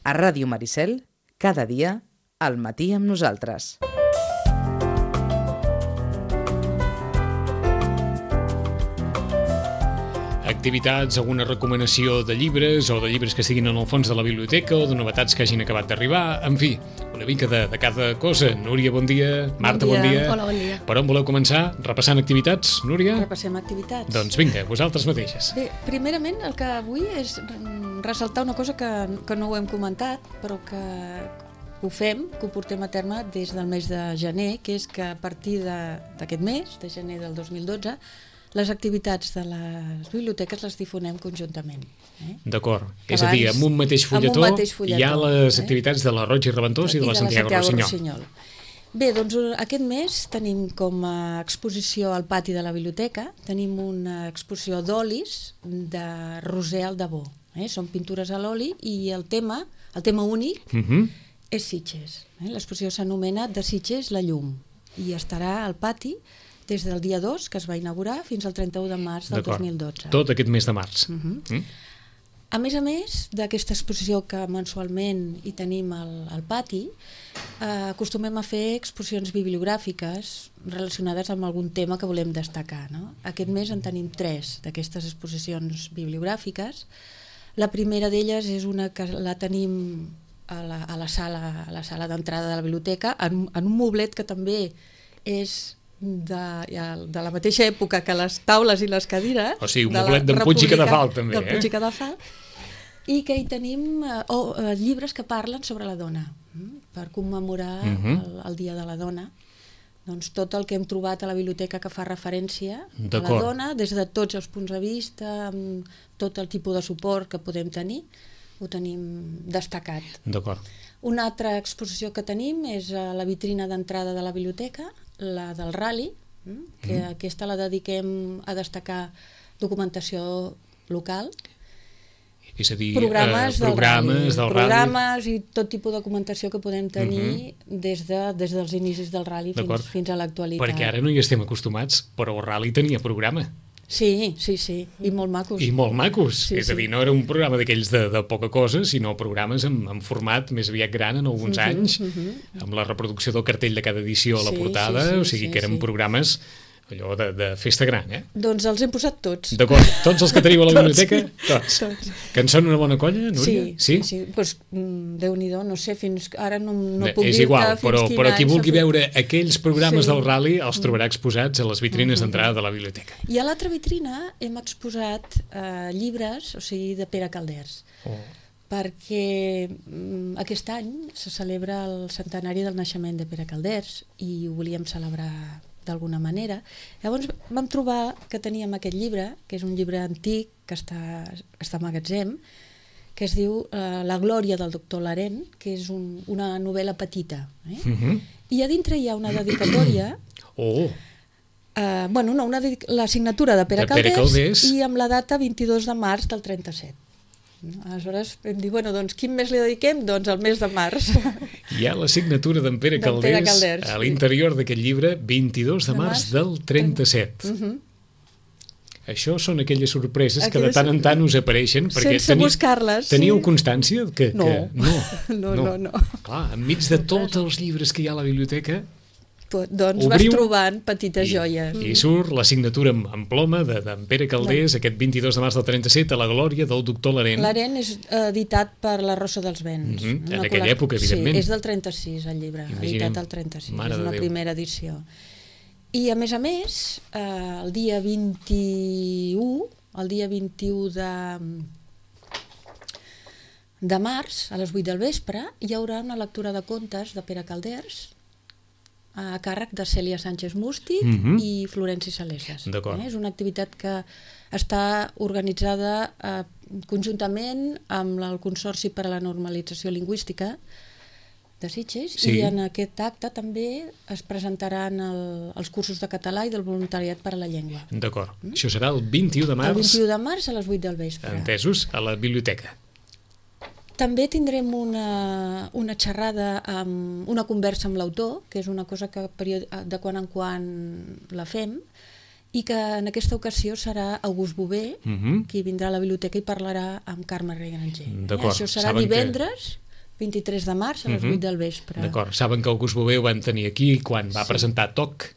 A Ràdio Maricel, cada dia, al matí amb nosaltres. Activitats, alguna recomanació de llibres o de llibres que estiguin en el fons de la biblioteca o de novetats que hagin acabat d'arribar, en fi, una mica de cada cosa. Núria, bon dia. Marta, bon dia. Hola, bon dia. Per on voleu començar? Repassant activitats, Núria? Repassem activitats. Doncs vinga, vosaltres mateixes. Bé, primerament el que vull és ressaltar una cosa que no ho hem comentat, però que ho fem, que ho portem a terme des del mes de gener, que és que a partir d'aquest mes, de gener del 2012, les activitats de les biblioteques les difonem conjuntament. D'acord. És a dir, amb un mateix fulletó hi ha les activitats de la Roig i Reventós i de la Santiago Rossinyol. Bé, doncs aquest mes tenim com a exposició al pati de la biblioteca, tenim una exposició d'olis de Roser Aldabó. Són pintures a l'oli i el tema únic és Sitges. L'exposició s'anomena De Sitges la llum i estarà al pati des del dia 2, que es va inaugurar, fins al 31 de març del 2012. Tot aquest mes de març. A més d'aquesta exposició que mensualment hi tenim al pati, acostumem a fer exposicions bibliogràfiques relacionades amb algun tema que volem destacar. Aquest mes en tenim 3 d'aquestes exposicions bibliogràfiques. La primera d'elles és una que la tenim a la sala d'entrada de la biblioteca, en un moblet que també és de la mateixa època que les taules i les cadires. O sigui, un moblet d'en Puig i Cadafalch també. D'en Puig i Cadafalch. I que hi tenim llibres que parlen sobre la dona, per commemorar el Dia de la Dona. Doncs tot el que hem trobat a la biblioteca que fa referència a la dona, des de tots els punts de vista, amb tot el tipus de suport que podem tenir, ho tenim destacat. D'acord. Una altra exposició que tenim és a la vitrina d'entrada de la biblioteca, la del Rally, que aquesta la dediquem a destacar documentació local. És a dir, programes del Rally. Programes i tot tipus de documentació que podem tenir des dels inicis del Rally fins a l'actualitat. Perquè ara no hi estem acostumats, però el Rally tenia programa. Sí, i molt macos. I molt macos, és a dir, no era un programa d'aquells de poca cosa, sinó programes en format més aviat gran en alguns anys, amb la reproducció del cartell de cada edició a la portada, o sigui que eren programes allò de festa gran, Doncs els hem posat tots. D'acord, tots els que teniu a la biblioteca? Tots. Que en són una bona colla, Núria? Sí. Doncs Déu-n'hi-do, no sé, fins ara no puc dir-te és igual, però qui vulgui veure aquells programes del Rally els trobarà exposats a les vitrines d'entrada de la biblioteca. I a l'altra vitrina hem exposat llibres, o sigui, de Pere Calders. Perquè aquest any se celebra el centenari del naixement de Pere Calders i ho volíem celebrar d'alguna manera. Llavors vam trobar que teníem aquest llibre, que és un llibre antic que està a magatzem, que es diu La glòria del doctor Larén, que és una novel·la petita. I a dintre hi ha una dedicatòria, la signatura de Pere Calders i amb la data 22 de març del 37. Aleshores vam dir, doncs quin mes li dediquem? Doncs el mes de març. Hi ha la signatura d'en Pere Calders a l'interior d'aquest llibre, 22 de març del 37. Això són aquelles sorpreses que de tant en tant us apareixen. Sense buscar-les. Teníeu constància? No. Clar, enmig de tots els llibres que hi ha a la biblioteca, doncs vas trobant petites joies. I surt la signatura en ploma d'en Pere Calders, aquest 22 de març del 37, a la glòria del doctor Larén. Larén és editat per la Rosa dels Vents. En aquella època, evidentment. Sí, és del 36 el llibre, editat al 36, és una primera edició. I a més, el dia 21 de març, a les 8 del vespre, hi haurà una lectura de contes de Pere Calders, a càrrec de Cèlia Sánchez Mústic i Florenci Salesas. És una activitat que està organitzada conjuntament amb el Consorci per a la Normalització Lingüística de Sitges, i en aquest acte també es presentaran els cursos de català i del voluntariat per a la llengua. D'acord. Això serà el 21 de març. El 21 de març a les 8 del vespre. Entesos, a la biblioteca. També tindrem una xerrada, una conversa amb l'autor, que és una cosa que de quan en quan la fem, i que en aquesta ocasió serà August Bové, qui vindrà a la biblioteca i parlarà amb Carme Regranger. Això serà divendres 23 de març a les 8 del vespre. D'acord. Saben que August Bové ho van tenir aquí quan va presentar Toc,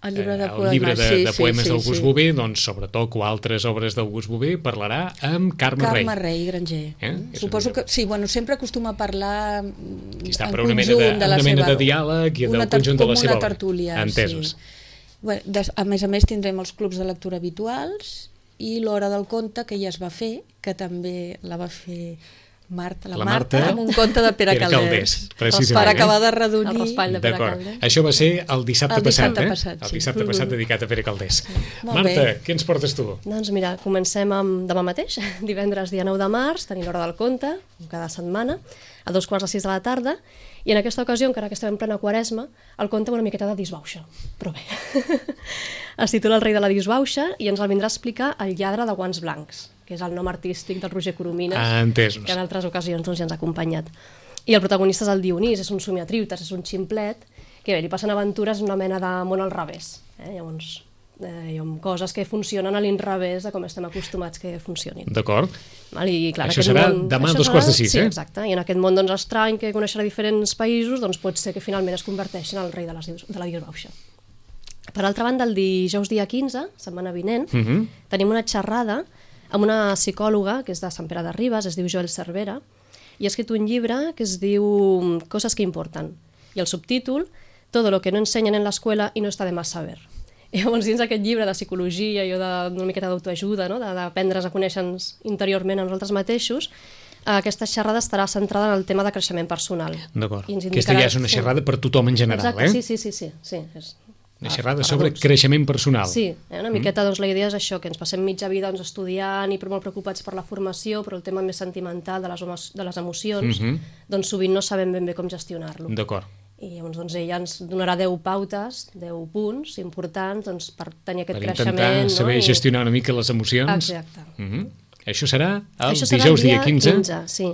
El llibre de el llibre de poemes d'August sí. Bové, doncs sobre Toc o altres obres d'August Bové parlarà amb Carme Rei. Carme Rei Granger. Suposo que, sí, bueno, sempre acostuma a parlar aquí està, en per una conjunt mena de diàleg i del conjunt de la seva obra. Tertúlia, entesos. Sí. Bueno, a més tindrem els clubs de lectura habituals i l'hora del conte, que ja es va fer, que també la va fer la Marta, amb un conte de Pere Calders, per acabar de redonir. El raspall de Pere Calders. Això va ser el dissabte passat, el dissabte passat dedicat a Pere Calders. Sí. Marta, què ens portes tu? Doncs mira, comencem amb demà mateix, divendres dia 9 de març, tenim l'hora del conte, cada setmana, a 2:45 de la tarda, i en aquesta ocasió, encara que estem en plena quaresma, el conte una miqueta de disbauxa, però bé. Es titula El rei de la disbauxa i ens el vindrà a explicar el lladre de guants blancs, que és el nom artístic del Roger Coromines, que en altres ocasions ja ens ha acompanyat. I el protagonista és el Dionís, és un somiatriutes, és un ximplet, que bé, li passen aventures en una mena de món al revés. Llavors, hi ha coses que funcionen a l'inrevés de com estem acostumats que funcionin. D'acord. I, clar, això serà demà a 2:45, Sí, exacte. I en aquest món doncs, estrany que coneixerà diferents països, doncs pot ser que finalment es converteixin en el rei de la disbauxa. Per altra banda, el dijous dia 15, setmana vinent, tenim una xerrada amb una psicòloga que és de Sant Pere de Ribes, es diu Joel Cervera, i ha escrit un llibre que es diu Coses que importen. I el subtítol, Todo lo que no enseñan en la escuela y no está de más saber. I llavors, dins aquest llibre de psicologia i d'una miqueta d'autoajuda, no? D'aprendre's a conèixer-nos interiorment a nosaltres mateixos, aquesta xerrada estarà centrada en el tema de creixement personal. D'acord. Aquesta ja és una xerrada per tothom en general, exacte, sí. Una xerrada sobre creixement personal. Sí, una miqueta doncs, la idea és això, que ens passem mitja vida doncs, estudiant i molt preocupats per la formació, però el tema més sentimental de les emocions, doncs sovint no sabem ben bé com gestionar-lo. D'acord. I llavors doncs, ella ens donarà 10 pautes, 10 punts importants doncs, per tenir aquest creixement. Per intentar saber gestionar una mica les emocions. Exacte. Això serà el dijous dia 15? Sí.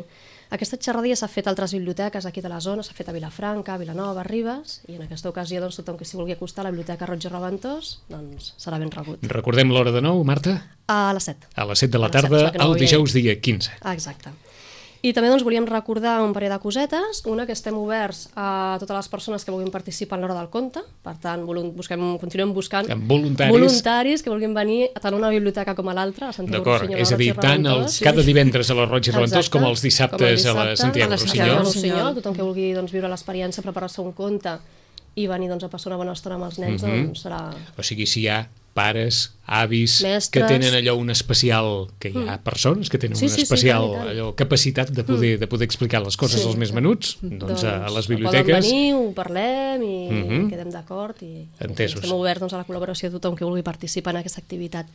Aquesta xerrada ja s'ha fet a altres biblioteques aquí de la zona, s'ha fet a Vilafranca, a Vilanova, a Ribes, i en aquesta ocasió doncs, tothom que s'hi vulgui acostar a la Biblioteca Roig i Reventós doncs, serà ben rebut. Recordem l'hora de nou, Marta? A les 7. A les 7 de la tarda, el dijous dia 15. Exacte. I també doncs, volíem recordar un parell de cosetes. Una, que estem oberts a totes les persones que vulguin participar en l'hora del conte. Per tant, continuem buscant voluntaris que vulguin venir tant a una biblioteca com a l'altra, a Santiago Rossinyol. És a dir, tant cada divendres a la Roig i Reventós com els dissabtes a la Santiago Rossinyol. Tothom que vulgui viure l'experiència, preparar-se un conte i venir a passar una bona estona amb els nens, doncs serà... O sigui, si hi ha pares, avis, mestres, que tenen allò un especial, que hi ha persones que tenen una especial capacitat de poder explicar les coses als més menuts, doncs a les biblioteques. Poden venir, ho parlem i quedem d'acord i estem oberts a la col·laboració de tothom que vulgui participar en aquesta activitat.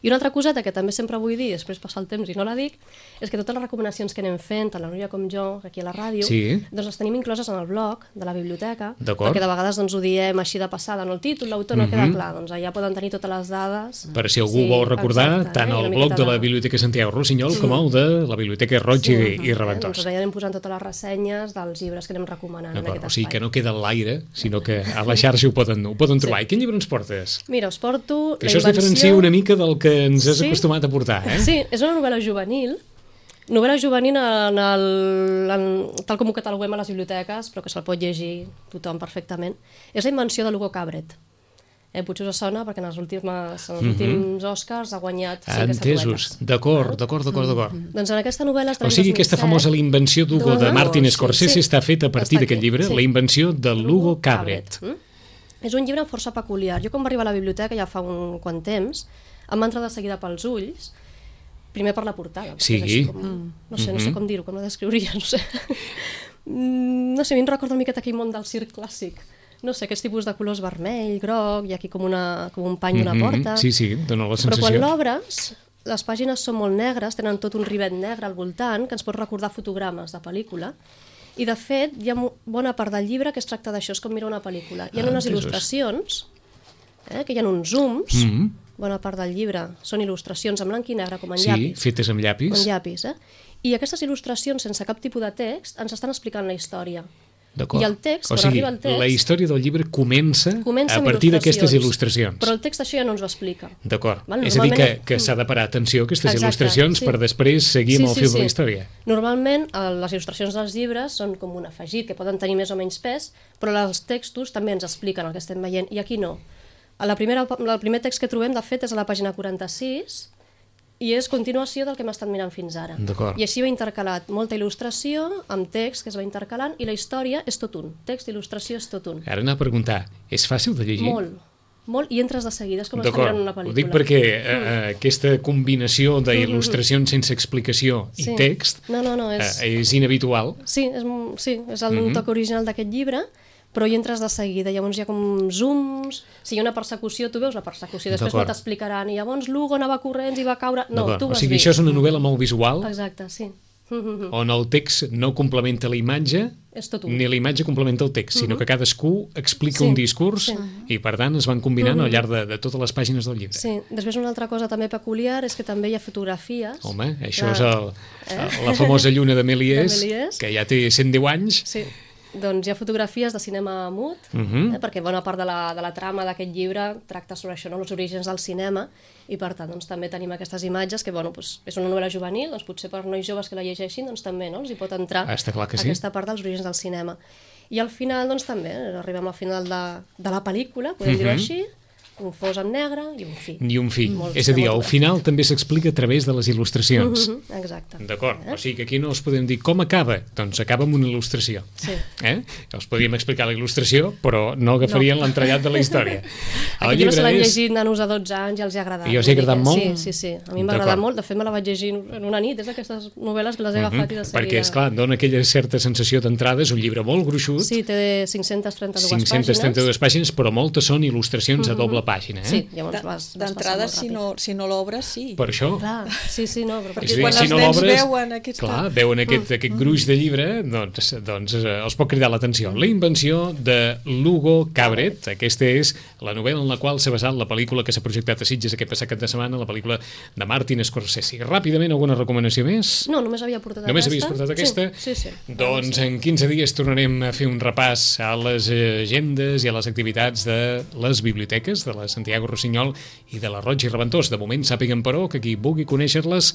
I una altra coseta que també sempre vull dir, després passa el temps i no la dic, és que totes les recomanacions que anem fent, tant la Núria com jo, aquí a la ràdio, doncs les tenim incloses en el blog de la biblioteca, perquè de vegades doncs, ho diem així de passada, no el títol, l'autor no queda clar, doncs allà poden tenir totes les dades. Per si algú vol recordar, tant el blog de la Biblioteca Santiago Rossinyol com el de la Biblioteca Roig i Reventós. Doncs allà anem posant totes les ressenyes dels llibres que anem recomanant en aquest espai. O sigui que no queda a l'aire, sinó que a la xarxa ho poden trobar. I quin llibre ens portes? Mira, us porto Això es diferencia una mica del que ens has acostumat a portar, Sí, és una novel·la juvenil, tal com ho cataloguem a les biblioteques, però que se'l pot llegir tothom perfectament. És La invenció de l'Hugo Cabret. Potser us sona perquè en els últims Oscars ha guanyat 5 estatuetes. D'acord. Doncs en aquesta novel·la... O sigui, aquesta famosa La invenció d'Hugo de Martin Scorsese està feta a partir d'aquest llibre, La invenció de l'Hugo Cabret. És un llibre força peculiar. Jo quan va arribar a la biblioteca ja fa un quant temps, em va entrar de seguida pels ulls, primer per la portada. Sí. No sé com dir-ho, com la descriuria, no sé. No sé, a mi em recorda una miqueta aquell món del circ clàssic. No sé, aquests tipus de colors vermell, groc, i aquí com un pany d'una porta. Sí, dona la sensació. Però quan l'obres, les pàgines són molt negres, tenen tot un rivet negre al voltant, que ens pot recordar fotogrames de pel·lícula, i de fet hi ha bona part del llibre que es tracta d'això, és com mirar una pel·lícula. Hi ha unes il·lustracions, que hi ha uns zooms, bona part del llibre són il·lustracions en blanc i negre, com en llapis. Sí, fetes amb llapis. I aquestes il·lustracions, sense cap tipus de text, ens estan explicant la història. D'acord. I el text, o quan sigui, arriba el text... la història del llibre comença a amb partir d'aquestes il·lustracions. Però el text això ja no ens ho explica. D'acord. Val? És a dir, que s'ha de parar atenció a aquestes Exacte, il·lustracions sí. per després seguir amb el fil de la història. Normalment, les il·lustracions dels llibres són com un afegit, que poden tenir més o menys pes, però els textos també ens expliquen el que estem veient, i aquí no. El primer text que trobem, de fet, és a la pàgina 46, i és continuació del que hem estat mirant fins ara. D'acord. I així va intercalat molta il·lustració amb text que es va intercalant, i la història és tot un. Text i il·lustració és tot un. Ara anar a preguntar, és fàcil de llegir? Molt, i entres de seguida, és com estar mirant una pel·lícula. Ho dic perquè aquesta combinació d'il·lustracions sense explicació i text és inhabitual. Sí, és el toc original d'aquest llibre, però hi entres de seguida, llavors hi ha com zooms, si hi ha una persecució, tu veus la persecució, després no t'explicaran, i llavors Lugo anava corrents i va caure... No, tu vas o sigui, això és una novel·la molt visual, exacte, sí. On el text no complementa la imatge, ni la imatge complementa el text, sinó que cadascú explica un discurs i, per tant, es van combinant al llarg de totes les pàgines del llibre. Sí, després una altra cosa també peculiar és que també hi ha fotografies. Home, això és la famosa lluna de Méliès, que ja té 110 anys. Sí. Doncs hi ha fotografies de cinema mut, perquè bona part de la trama d'aquest llibre tracta sobre això, els orígens del cinema, i per tant també tenim aquestes imatges que és una novel·la juvenil, potser per nois joves que la llegeixin també els hi pot entrar aquesta part dels orígens del cinema. I al final també arribem al final de la pel·lícula, podem dir-ho així, un fos en negre i un fi. I un fi. És a dir, al final també s'explica a través de les il·lustracions. Exacte. D'acord. O sigui que aquí no els podem dir com acaba. Doncs acaba amb una il·lustració. Sí. Els podríem explicar la il·lustració, però no agafarien l'entrellat de la història. Aquest llibre se l'han llegit nanos de 12 anys i els ha agradat. I els ha agradat molt? Sí. A mi m'ha agradat molt. De fet, me la vaig llegir en una nit. És d'aquestes novel·les que les he agafat i de seguida. Perquè, esclar, dona aquella certa sensació d'entrada. És un llibre molt gruixut. Sí, té 532 pàgines, però moltes són il·lustracions a doble pàgina. Sí, llavors d'entrada, si no l'obres, sí. Per això. Clar, sí, no. Perquè quan els nens veuen aquest gruix de llibre, doncs els pot cridar l'atenció. La invenció de Lugo Cabret. Aquesta és la novel·la en la qual s'ha basat la pel·lícula que s'ha projectat a Sitges aquest passat cap de setmana, la pel·lícula de Martin Scorsese. Ràpidament, alguna recomanació més? No, només havia portat aquesta. Només havies portat aquesta? Sí. Doncs en 15 dies tornarem a fer un repàs a les agendes i a les activitats de les biblioteques de la Santiago Rossinyol i de la Roig i Reventós. De moment sàpiguen, però, que qui vulgui conèixer-les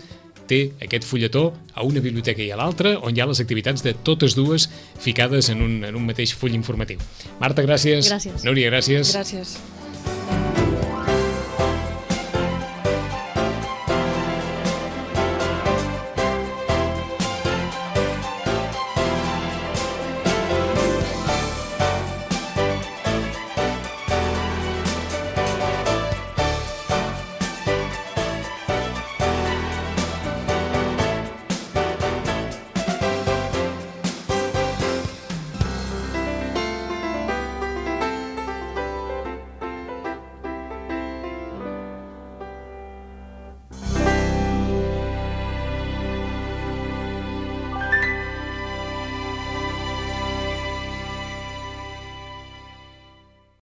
té aquest fulletó a una biblioteca i a l'altra, on hi ha les activitats de totes dues ficades en un mateix full informatiu. Marta, gràcies. Gràcies. Núria, gràcies. Gràcies.